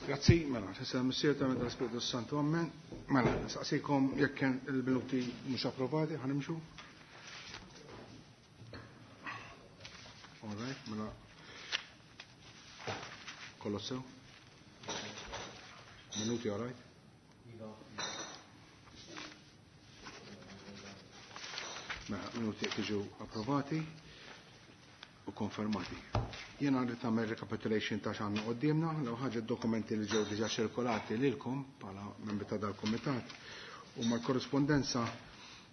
Grazzi, mela, sissa missier ta' meta Spiritu Santu, ammen. Mela, saqsikom jekk kien il-minuti mhux approvati, ħanimxu. All right, mela. Kollox sew. Minuti, all right? Mela, minuti tiġu approvati u konfermati. Jena rrid tagħmel recapitulation ta' x'għandna qudiemna, l ħaġa dokumenti li ġew diġà ċirkolati lilkom bħala membri ta' dal-kumitat u mal-korrispondenza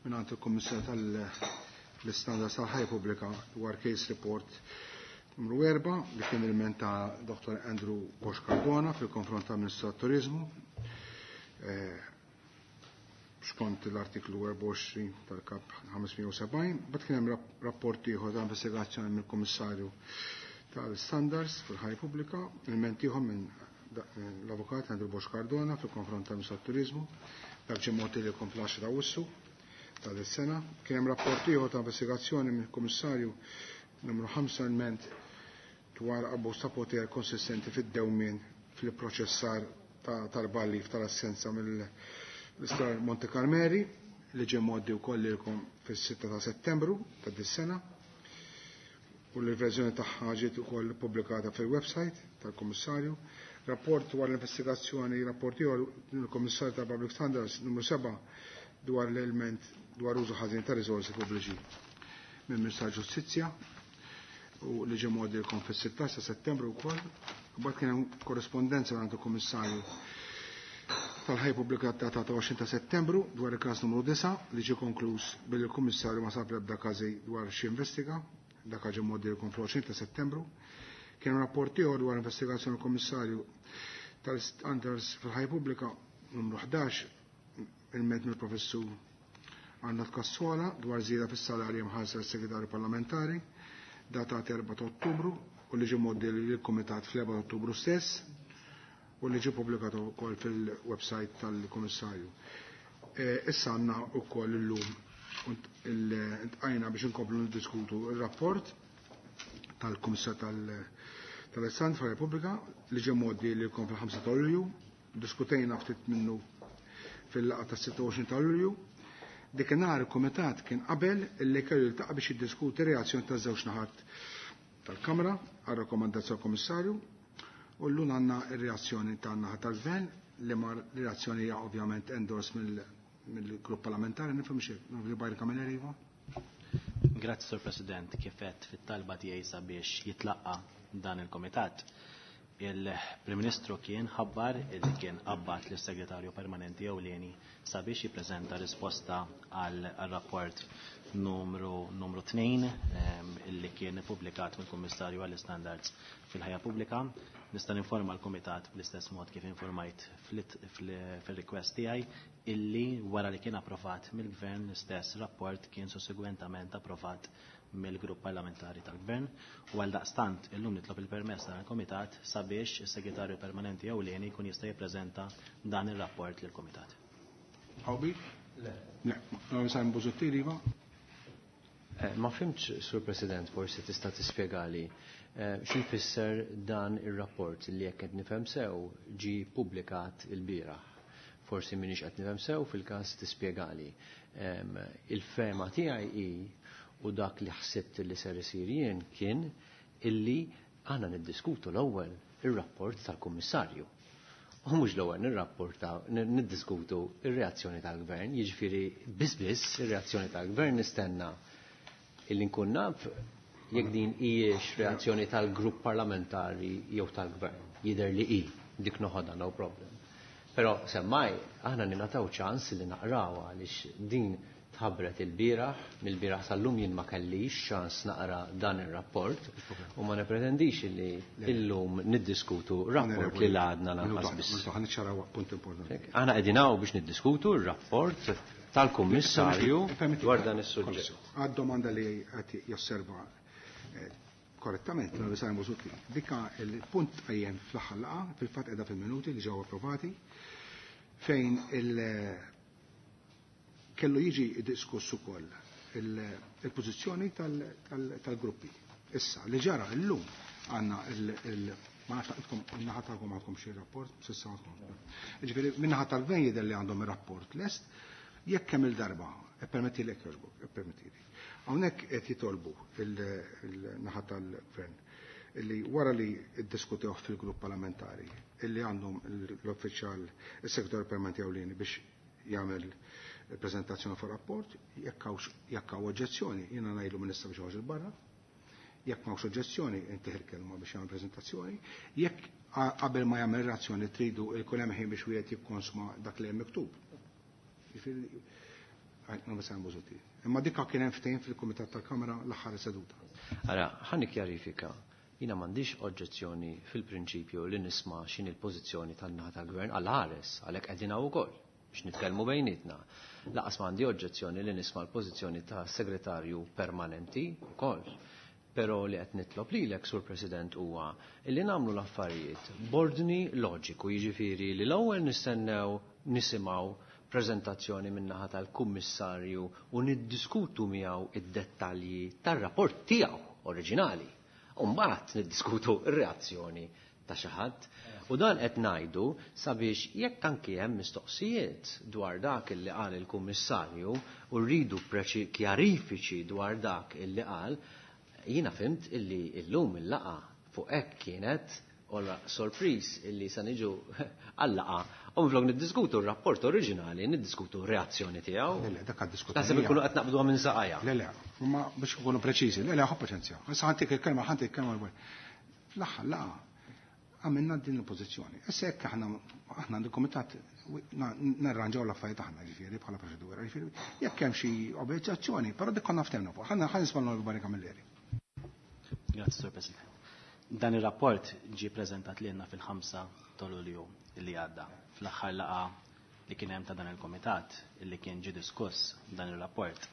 mingħand il-Kummissjoni tal-Istandards tal-Ħajja Pubblika dwar case report numru 4 li kien il-ment ta' Dr. Andrew Bosch Cardona fil-konfront tal-Ministru tat-Turiżmu. Skont l-artiklu 24 tal-kap 570, bat kien hemm rapport ieħor ta' investigazzjoni mill-Kummissarju tal-Standards fil-Ħajja Pubblika, il-ment ieħor minn l-Avukat Andrew Bosch Cardona fil-konfront tal-Ministru tat-Turiżmu, dak ġie mogħti lilkom fl-10 ta' Awwissu tal-sena. Kien hemm rapport ieħor ta' investigazzjoni mill-Kummissarju numru 5 il-ment dwar abbuż ta' poter konsistenti fid-dewmien fil-proċessar tal-ballif tal-assenza mill l-Isptar Monte Carmeli li ġie mgħoddi wkoll lilkom fis-6 ta' Settembru ta' dis-sena u li l-verżjoni tagħha ġiet ukoll pubblikata fil-website tal-Kummissarju. Rapport dwar l-investigazzjoni, rapport ieħor mill-Kummissarju tal-Public Standards numru 7 dwar l-element dwar użu ħażin ta' riżorsi pubbliċi minn Ministru tal-Ġustizzja u li ġie mgħoddi lilkom fis-16 ta' Settembru wkoll. Mbagħad kien hemm korrispondenza mingħand il-Kummissarju tal-ħajja pubblika datata 20 ta' Settembru dwar il-każ numru 9 li ġie konkluż billi l-Kummissarju ma sab l-ebda każi dwar xi investiga, dak ġie mgħoddi lilkom fl-20 ta' Settembru. Kien rapport ieħor dwar investigazzjoni l-Kummissarju tal-Standards fil-ħajja pubblika numru 11 il-ment mill-Professur Arnold Cassola dwar żieda fis-salarji mħallsa lis-Segretarju Parlamentari datat 4 ta' Ottubru u li ġie mgħoddi lill-Kumitat fl-4 ta' Ottubru stess u li ġie pubblikat ukoll fil-website tal-Kummissarju. Issa għandna wkoll illum intqajna biex inkomplu niddiskutu r-rapport tal-Kummissar tal-Istandards fil-Repubblika li ġie mgħoddi lilkom fil-5 ta' Lulju, diskutejna ftit minnu fil-laqgħa tas-26 ta' Lulju. Dik inhar il-Kumitat kien qabel illi kellu jiltaqa' biex jiddiskuti reazzjoni taż-żewġ naħat tal-Kamra għar-rakkomandazzjoni tal-Kummissarju u llum għandna r-reazzjoni tan-naħa tal-Gvern li mar reazzjoni hija ovvjament endorse mill-grupp parlamentari, nifhem xi, Onorevoli Byron Camilleri, iva? Grazzi, Sur President, kif għedt fit-talba tiegħi sabiex jitlaqqa dan il-Komitat. Il-Prim Ministru kien ħabbar illi kien qabbat lis-Segretarju Permanenti Ewlieni sabiex jippreżenta risposta għal rapport numru 2 illi kien ippubblikat mill-Kummissarju għall-Istandards fil-Ħajja Pubblika. Nista' ninforma l-Kumitat bl-istess mod kif informajt fil-request tiegħi illi wara li kien approvat mill-Gvern l-istess rapport kien sussegwentament approvat mill-grupp parlamentari tal-Gvern u għal daqstant illum nitlob il-permess tal-Komitat sabiex is-Segretarju Permanenti Ewlieni jkun jista' jippreżenta dan ir-rapport lill-Kumitat. Hawbi? Le. Le, no, Simon Busuttil, iva? Ma fhimtx, Sur President, forsi tista' tispjegali xi jfisser dan ir-rapport li jekk qed nifhem sew ġie ppubblikat il-bieraħ. Forsi m'iniex qed nifhem sew fil-każ tispjegali. Il-fehma tiegħi hi u dak li ħsibt li ser isir jien kien illi għandna niddiskutu l-ewwel ir-rapport tal-Kummissarju. U mhux l-ewwel niddiskutu ir-reazzjoni tal-Gvern, jiġifieri biss biss ir-reazzjoni tal-Gvern nistenna illi nkun naf jekk din hijiex reazzjoni tal-grupp parlamentari jew tal-Gvern. Jidher li hi, dik noħodha, no problem. Però semmai aħna ningħataw ċans li naqrawha għaliex din tħabbret il-bieraħ, mill-bieraħ sal-lum jien ma kellix ċans naqra dan ir-rapport u ma nipretendix li illum niddiskutu rapport li l-għadna lanqas biss. Minuta, ħa niċċaraw punt importanti. Aħna qegħdin hawn biex niddiskutu r-rapport tal-Kummissarju dwar dan is-suġġett. Għad-domanda li qed josserva korrettament l Simon Busuttil. Dikka il-punt qajjem fl-aħħar laqgħa, fil-fatt qiegħda fil-minuti li ġew approvati, fejn il- kellu jiġi diskuss ukoll il-pożizzjoni tal-gruppi. Issa, li ġara llum għandna Ma nafx intkom min-naħa tagħkom għandkom xi rapport, s'issa għandkom. Jiġifieri min-naħa tal-gvern jidher li għandhom ir-rapport lest, jekk kemm il-darba, ippermettili jekk jogħġbok, ippermettili. Hawnhekk qed jitolbu il-naħa tal-gvern illi wara li ddiskutewh fil-grupp parlamentari illi għandhom l-uffiċjal is-segretarju permanenti ewlieni biex jagħmel prezentazzjoni fuq rapport, jekk hawn oġġezzjoni, jiena ngħidlu Ministru biex joħroġ il barra. Jekk m'hawnx oġġezzjoni, intih il-kelma biex jagħmel preżentazzjoni. Jekk qabel ma jagħmel reazzjoni tridu jkun hemm ħin biex wieħed jikkonsma dak li hemm miktub. Jiġifieri, Imma dikka kien hemm ftehim fil-Kumitat tal-Kamra l-aħħar seduta. Ara, ħa nikkjarifika. Jiena m'għandix oġġezzjoni fil-prinċipju li nisma' x'inhi l-pożizzjoni tan-naħa tal-Gvern għal ħares, għalhekk qegħdin hawn ukoll biex nitkellmu bejnietna. Lanqas m'għandi oġġezzjoni li nisma' l-pożizzjoni ta' segretarju permanenti wkoll. Però li qed nitlob lilek, Sur President, huwa li nagħmlu l-affarijiet b'ordni loġiku, jiġifieri li l-ewwel nistennew nisimgħu preżentazzjoni min-naħa tal-Kummissarju u niddiskutu miegħu id-dettalji tar-rapport tiegħu oriġinali. U mbagħad niddiskutu r-reazzjoni ta' xi ħadd. U dan qed ngħidu sabiex jekk anki hemm mistoqsijiet dwar dak illi qal il-Kummissarju u rridu kjarifiċi dwar dak illi qal, jiena fhimt illi illum il-laqgħa fuq hekk kienet ora sorpriż illi sa niġu għal-laqgħa u minflok niddiskutu r-rapport oriġinali, niddiskutu r-reazzjoni tiegħu. Le, le, dak għad-diskutejniha. Naħseb inkunu qed naqbduha minn saqajha. Le, le, imma biex nkunu preċiżi, le, le, ħu paċenzja. Issa ħantik il-kelma, ħantik il-kelma. Fl-aħħar laqgħa għamilna din il-pożizzjoni. Issa jekk aħna aħna għand il-kumitat narranġaw l-affarijiet aħna ġifieri bħala proċedura. Ġifieri jekk hemm xi objezzjoni, però dik konna ftehmna fuq. Ħa nisma' l-Onorevoli Camilleri. Grazzi, Sur President. Dan ir-rapport ġie preżentat lilna fil-5 ta' Lulju li għadda. Fl-aħħar laqgħa li kien hemm ta' dan il-kumitat illi kien ġie diskuss dan ir-rapport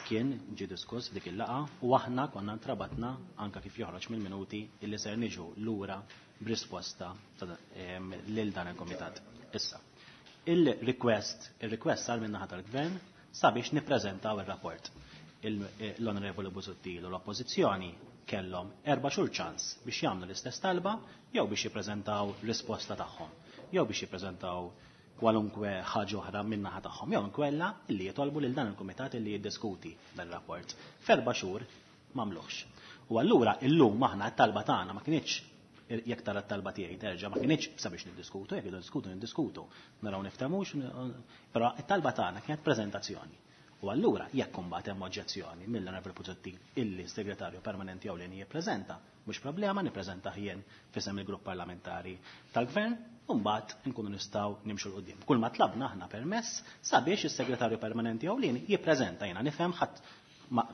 kien ġie diskuss f'dik il-laqgħa u aħna konna ntrabatna anka kif joħroġ mill-minuti illi ser niġu lura b'risposta lil dan il-kumitat. Issa, il-request, il-request sar min-naħa tal-Gvern sabiex nippreżentaw ir-rapport. L-Onorevoli Busuttil u l-Oppożizzjoni kellhom 4 xhur ċans biex jagħmlu l-istess talba jew biex jippreżentaw risposta tagħhom, jew biex jippreżentaw kwalunkwe ħaġa oħra min-naħa tagħhom, jew inkella illi jitolbu lil dan il-kumitat illi jiddiskuti dan ir-rapport. F'erba' xhur m'għamluhx. U allura illum aħna t-talba tagħna ma kinitx, jekk tara t-talba tiegħi terġa' ma kinitx sabiex niddiskutu, jekk niddiskutu niddiskutu, naraw niftehmux, però t-talba tagħna kienet preżentazzjoni. U allura jekk imbagħad hemm oġġezzjoni mill-Onorevoli Busuttil illi s-Segretarju Permanenti Ewlieni jippreżenta, mhux problema, nippreżentah jien f'isem il-grupp parlamentari tal-Gvern, u mbagħad nkunu nistgħu nimxu 'l quddiem. Kull ma tlabna aħna permess sabiex is-Segretarju Permanenti Ewlieni jippreżenta. Jiena nifhem ħadd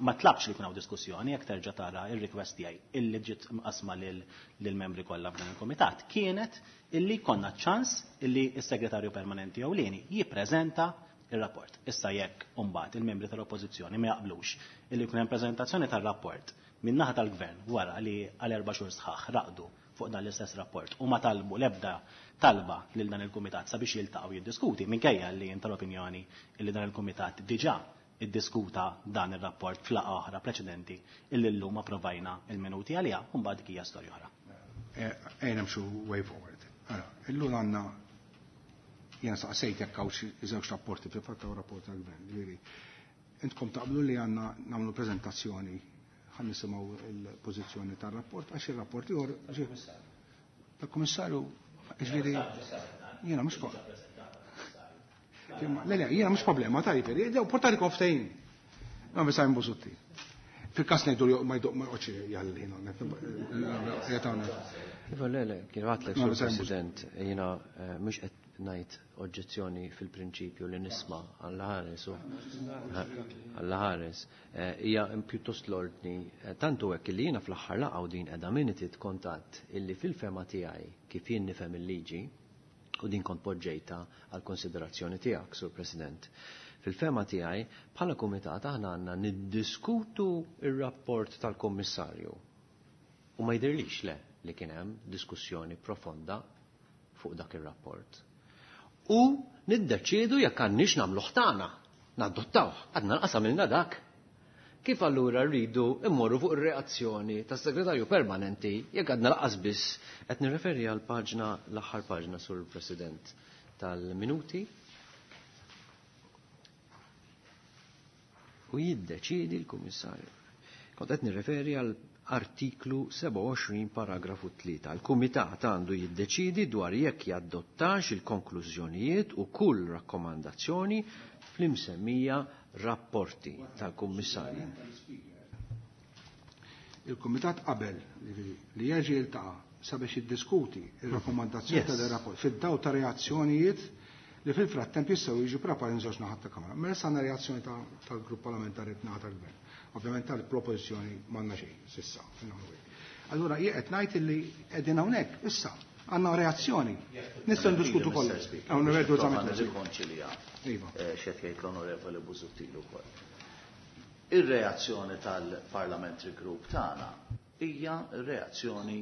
ma tlabx li jkun hawn diskussjoni, jekk terġa' tara ir-request tiegħi illi ġiet mqasma lill-membri kollha f'dan il-kumitat kienet illi konna ċans illi s-Segretarju Permanenti Ewlieni jippreżenta ir-rapport. Issa jekk imbagħad il-membri tal-Oppożizzjoni ma jaqblux illi jkun hemm preżentazzjoni tar-rapport min-naħa tal-Gvern wara li għal 4 xhur sħaħ raqdu fuq dan l-istess rapport u ma talbu l-ebda talba lil dan il-kumitat sabiex jiltaqgħu jiddiskuti, minkejja li jien tal-opinjoni illi dan il-kumitat diġà iddiskuta dan ir-rapport f'laqgħa oħra preċedenti illi llum approvajna il-minuti għaliha, u mbagħad dik hija storja oħra. Ejja nimxu way forward. Ara, illum għandna jiena saqsejt jekk hawn xi żewġ rapporti, fil-fatt hawn rapport tal-Gvern, ġifieri intkom taqblu li għandna nagħmlu preżentazzjoni ħa nisimgħu l-pożizzjoni tar-rapport għax ir-rapport ieħor tal-Kummissarju, ġifieri jiena mhux Le, le, jiena mhux problema ta' jiġifieri, dew portali konftejn. Ma biss hemm Busuttil. Fil-każ ngħidu li ma jdoq ma joqgħodx jgħalli, no, jgħatawna. Iva, le, le, kien għatlek, Ma Sur biss hemm President, jiena mhux qed ngħid oġġezzjoni fil-prinċipju li nisma' għall ħares u għall ħares. Hija pjuttost l-ordni, tantu hekk li jiena fl-aħħar laqgħa u din qiegħda minutit kontatt illi fil-fema tiegħi kif jien nifhem il-liġi, u din kont poġġejta għal konsiderazzjoni tiegħek, Sur President. Fil-fema tiegħi bħala kumitat aħna għandna niddiskutu ir-rapport tal-Kummissarju. U ma jidhirlix le li kien hemm diskussjoni profonda fuq dak ir-rapport. U niddeċiedu jekk għandniex nagħmluh tagħna, nadottawh, għadna nqasam ilna dak. Kif allura rridu immorru fuq ir-reazzjoni tas-segretarju permanenti jekk għadna lanqas biss qed nirreferi għal paġna l-aħħar paġna sur President tal-minuti u jiddeċidi l-Kummissarju. Kont qed nirreferi għal artiklu 27 paragrafu 3. Il-Kumitat għandu jiddeċidi dwar jekk jaddottax il-konklużjonijiet u kull rakkomandazzjoni fl-imsemmija rapporti tal-Kummissarju. Il-Kumitat qabel li jerġa' jiltaqa' sabiex jiddiskuti ir-rakkomandazzjoni tal-rapport fid-daw ta' reazzjonijiet li fil-frattemp jistgħu jiġu preparati żewġ naħat ta' Kamra. Mela issa għandna reazzjoni tal-grupp parlamentari naħa tal-Gvern. Ovvjament tal-propożizzjoni m'għandna xejn s'issa. Allura jien qed ngħid li qegħdin hawnhekk issa għandna reazzjoni. Nistgħu ndiskutu kollox. Onorevoli Zammit. Nirrikonċilja. Iva. X'qed jgħid l-Onorevoli Busuttil ukoll. Ir-reazzjoni tal-Parliamentary Group tagħna hija reazzjoni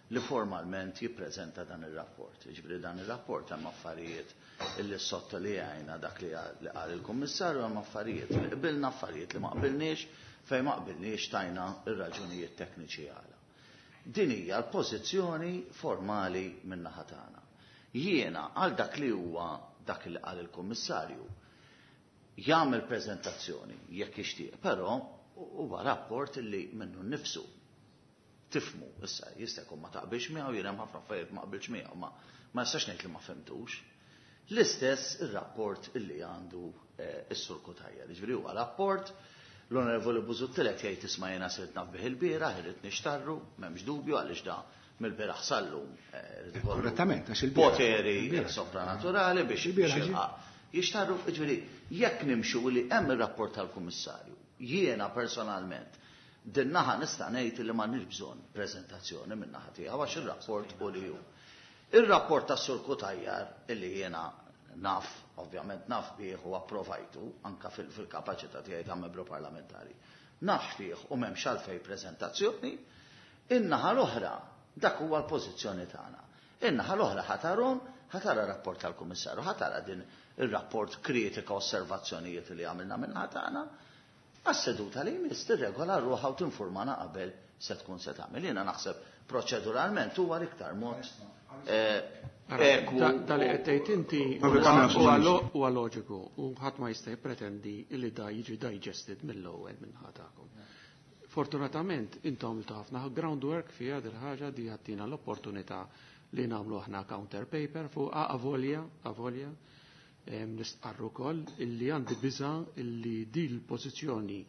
li formalment jippreżenta dan ir-rapport. Jiġifieri dan ir-rapport hemm affarijiet illi sottolinjajna dak li qal il-Kummissarju, hemm affarijiet li qbilna, affarijiet li ma qbilniex, fejn ma qbilniex tajna ir-raġunijiet tekniċi għala. Din hija l-pożizzjoni formali min-naħa tagħna. Jiena għal dak li huwa dak li qal il-Kummissarju jagħmel preżentazzjoni jekk jixtieq, però huwa rapport li minnu nnifsu tifmu, issa jista' jkun ma taqbilx miegħu, jien hemm ħafna affarijiet ma qbilx miegħu, ma ma nistax ngħid li ma fhimtux. L-istess ir-rapport illi għandu s-Sur Cutajar. Jiġifieri huwa rapport l-Onorevoli Busuttil qed jgħid isma' jiena sirt naf bih il-bieraħ, irrid nixtarru, m'hemmx dubju għaliex da mill-bieraħ sallum irid ikollu Korrettament, għax il-bieraħ. poteri sopranaturali biex jilqa' jixtarru, jiġifieri jekk nimxu li hemm ir-rapport tal-Kummissarju, jiena personalment din naħa nista' ngħid li m'għandniex bżonn preżentazzjoni minn naħa tiegħu għax ir-rapport u li hu. Ir-rapport tas-Sur Cutajar illi jiena naf, ovvjament naf bih u approvajtu anka fil-kapaċità tiegħi ta' membru parlamentari. Naf fih u m'hemmx għalfejn preżentazzjoni, in-naħa l-oħra dak huwa l-pożizzjoni tagħna. In-naħa l-oħra ħatarhom, ħatara rapport tal-Kummissarju, ħatara din ir-rapport kritika osservazzjonijiet li għamilna minn naħa tagħna. Għas-seduta li jmiss tirregola ruħha u tinformana qabel se tkun se tagħmel. Jiena naħseb proċeduralment huwa l-iktar mod ekwu. Da li qed tgħid inti huwa loġiku u ħadd ma jista' jippretendi li da jiġi digested mill-ewwel minn ħatakom. Fortunatament intom għamiltu ħafna groundwork fiha dil ħaġa di ħattina l-opportunità li nagħmlu aħna counter paper fuq avolja, avolja. Nistqarru wkoll illi għandi biża illi di l-pożizzjoni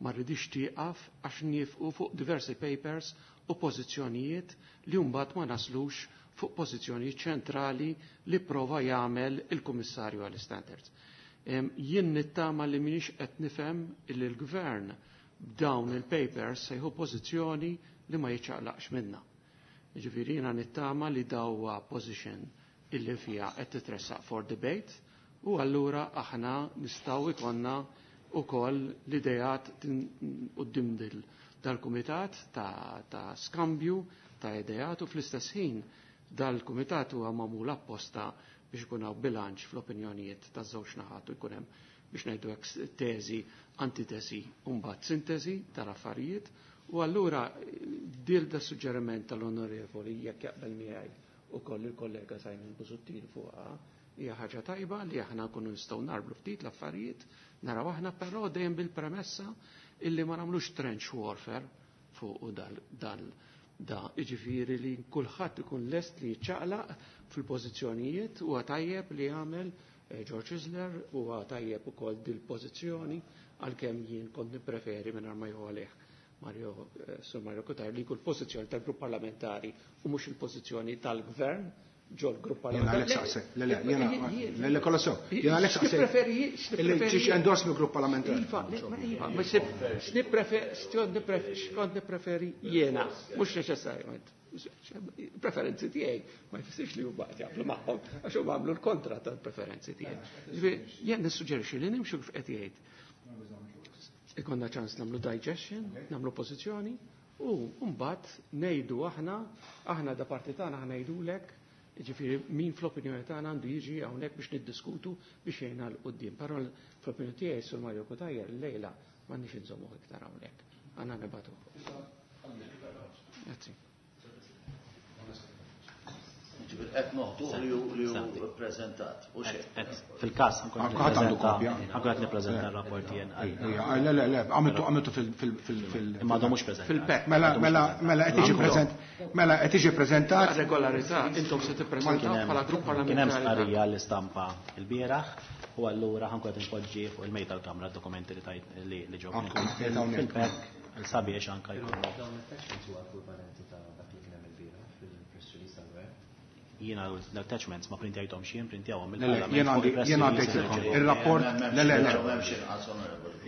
ma rridix tieqaf għax niefqu fuq diversi papers u pożizzjonijiet li mbagħad ma naslux fuq pożizzjonijiet ċentrali li prova jagħmel il-Kummissarju għall-Standards. Jien nittama li m'iniex qed nifhem illi l-Gvern b'dawn il-papers se jieħu pożizzjoni li ma jiċċaqlaqx minnha. Jiġifieri jiena nittama li dawwa position illi fiha qed titressaq for debate u allura aħna nistgħu jkollna wkoll l-idejat quddiem dal-kumitat ta' skambju ta' idejat u fl-istess ħin dal-kumitat huwa magħmul apposta biex ikun hawn bilanċ fl-opinjonijiet taż-żewġ naħat u jkun hemm biex ngħidu hekk teżi, antitesi u mbagħad sintesi tal-affarijiet u allura dil da suġġeriment tal-onorevoli jekk jaqbel miegħi ukoll il-kollega Simon Busuttil fuqha hija ħaġa tajba li aħna nkunu nistgħu narblu ftit l-affarijiet, naraw aħna però dejjem bil-premessa illi ma nagħmlux trench warfare fuq dal da jiġifieri li kulħadd ikun lest li jiċċaqlaq fil-pożizzjonijiet huwa tajjeb li jagħmel George Isler huwa tajjeb ukoll dil-pożizzjoni għalkemm jien kont nippreferi mingħajr ma jew għalih Mario, Sur Mario Cutajar li jkun pożizzjoni tal-grupp parlamentari u mhux il-pożizzjoni tal-gvern ġol grupp parlamentari. Le, le, le, le, kolla sew. Jiena għalhekk saqsejt. Illi ġiex endorse mill-grupp parlamentari. Iva, iva, ma x'kont nippreferi jiena, mhux neċessarjament. Preferenzi tiegħi ma jfissirx li huma qed jaqblu magħhom għax huma għamlu l-kontra tal-preferenzi tiegħi. Ġifieri jien nissuġġerixxi li nimxu kif qed jgħid. Ikonna ċans nagħmlu digestion, nagħmlu pożizzjoni u mbagħad ngħidu aħna, aħna da parti tagħna aħna ngħidulek, jiġifieri min fl-opinjoni tagħna għandu jiġi hawnhekk biex niddiskutu biex jgħinna l quddiem. Però fl-opinjoni tiegħi Sur Mario Cutajar llejla M'għandniex inżommuh iktar hawnhekk. Għandna nibagħtuh. Grazzi. Ġifieri qed noħduh li hu ppreżentat u xejn. Fil-każ ħankun qed nippreżenta r-rapport jien. Le le le, għamiltu għamiltu fil Imma għadhom mhux preżentat. Fil-pek. Mela mela mela qed jiġi preżent mela qed jiġi preżentat. Regolarità intom se tippreżentaw bħala grupp parlamentari. Kien hemm stqarrija l-istampa l-bieraħ u allura ħankun qed inpoġġi fuq il-mejda tal-Kamra d-dokumenti li tajt li ġew fil-pek sabiex anke jkunu. Dawn l-attachments huwa ekwivalenti ta' dak li kien hemm ilbieraħ fil-press release tal-Gvern? Jiena l-attachments ma printjajthomx jien, printjawhom Le, le, jiena għandi jiena għaddejtilkom ir-rapport, le, le, le.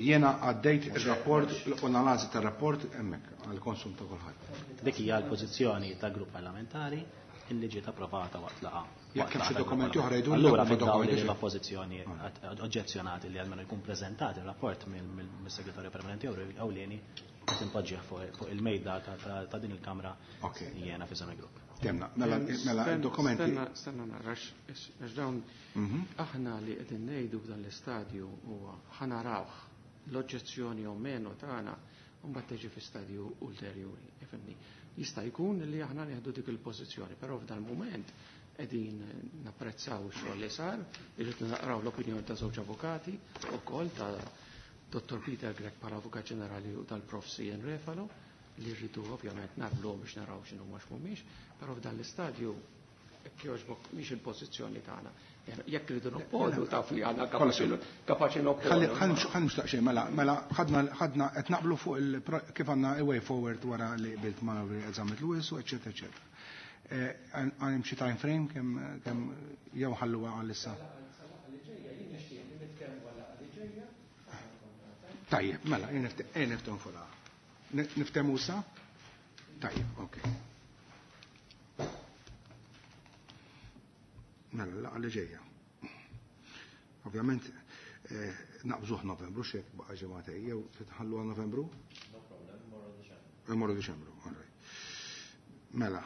Jiena għaddejt ir-rapport u l-analiżi tar-rapport hemmhekk għall-konsum ta' kulħadd. Dik hija l-pożizzjoni tal-grupp parlamentari illi ġiet approvata waqt laqgħa. Jekk hemm xi dokumenti oħra jgħidulna Allura huma fid-dawl dokumenti li xi- l-oppożizzjoni oġġezzjonat li almenu jkun preżentat ir-rapport mis-Segretarju Permanenti Ewlieni qed inpoġġih fuq il-mejda ta' din il-Kamra jiena fi il-grupp. Temna, mela mela dokumenti. Stenna, stenna nara, għax dawn aħna li qegħdin ngħidu f'dan l-istadju huwa ħa narawh l-oġġezzjoni o meno tagħna u mbagħad tiġi fi stadju ulterjuri, ifhimni. Jista' jkun li aħna nieħdu dik il-pożizzjoni, però f'dan il-mument qegħdin napprezzaw ix-xogħol li sar, irrid naqraw l-opinjoni ta' żewġ avukati wkoll ta' Dr. Peter Grech bħala Avukat Ġenerali u tal-Prof Ian Refalo, li rridu ovvjament narbluhom biex naraw x'inhu ma x'mhumiex, però f'dan l-istadju jekk jogħġbok mhix il-pożizzjoni tagħna. Jekk rridu nopponu taf li għandna kapaċi nopponu. Ħalli nistaqsi mela mela ħadna ħadna qed naqblu fuq il kif għandna a way forward wara li qbilt ma' Zammit Lewis u eċetera eċetera. Għandhom xi time frame kemm kemm jew ħalluha għalissa. Tajjeb, mela, niftehmu fuqha. Niftehmu sa? Tajjeb, ok. Mela, laqgħa li ġejja. Ovvjament, naqbżuh Novembru, xek baqa' ġimgħatej, jew titħallu għal Novembru? No problem, morru Diċembru. Morru Diċembru, all right. Mela.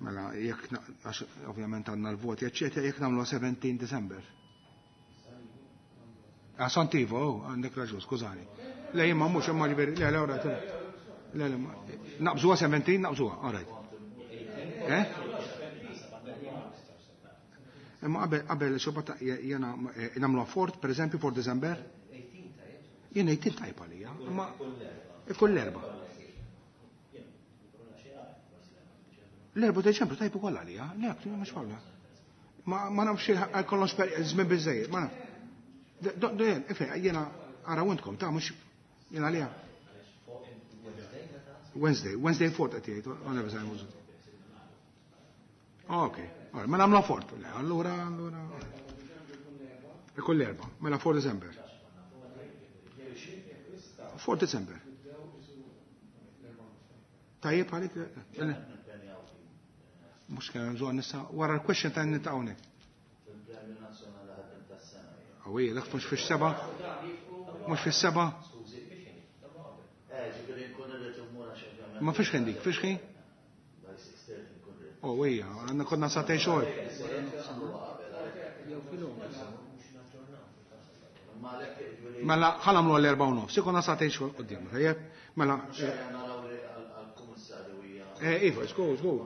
Mela, jekk għax ovvjament għandna l-voti, eċċetera, jekk nagħmlu 17 December. Ah, Santivo, oh, għandek raġun, skużani. Le, jien ma mhux imma ġifieri, le, le, ora, le, le, naqbżuha 17, naqbżuha, all right. Eh? Imma qabel, qabel xobba ta' jena nagħmluha fort, per eżempju, for December? Jien 18 tajb għalija, imma ikun l-erba. L-erba Deċembru tajb ukoll għalija, le, mhux problema. Ma nafx għal kollox żmien biżejjed, ma naf. Ife, jiena ara intkom, ta' mhux jiena għalija. Wednesday, Wednesday fort qed jgħid, għana biżgħaj mużu. Ok, mela nagħmlu fort. Le, allura, allura. Ikun l-erba, mela 4 December. 4 December. Tajjeb għalik? Mux kien bżonn nisa, wara l-question ta' nita hawnhekk. Għawija, dak mhux fix-seba'? Mhux fis-seba'? Ma fiex ħin dik, fiex ħin? Oh, ija, għandna konna satej xogħol. Mela, ħa nagħmlu għall-erba' u nofs, ikonna satej xogħol quddiem, tajjeb? Mela. Iva, żgur, żgur.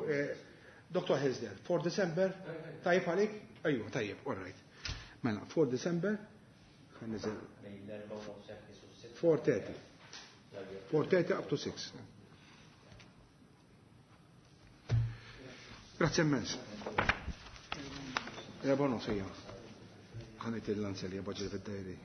Dr. Hesder, 4 December, tajjeb għalik? Ejwa, tajjeb, all right. Mela, 4 December, ħa niżel. 4:30. 4:30 up to 6. Grazie immens. Erba' nofs ejja. Ħa ngħid il-lanzelja baġġet fid-dajri.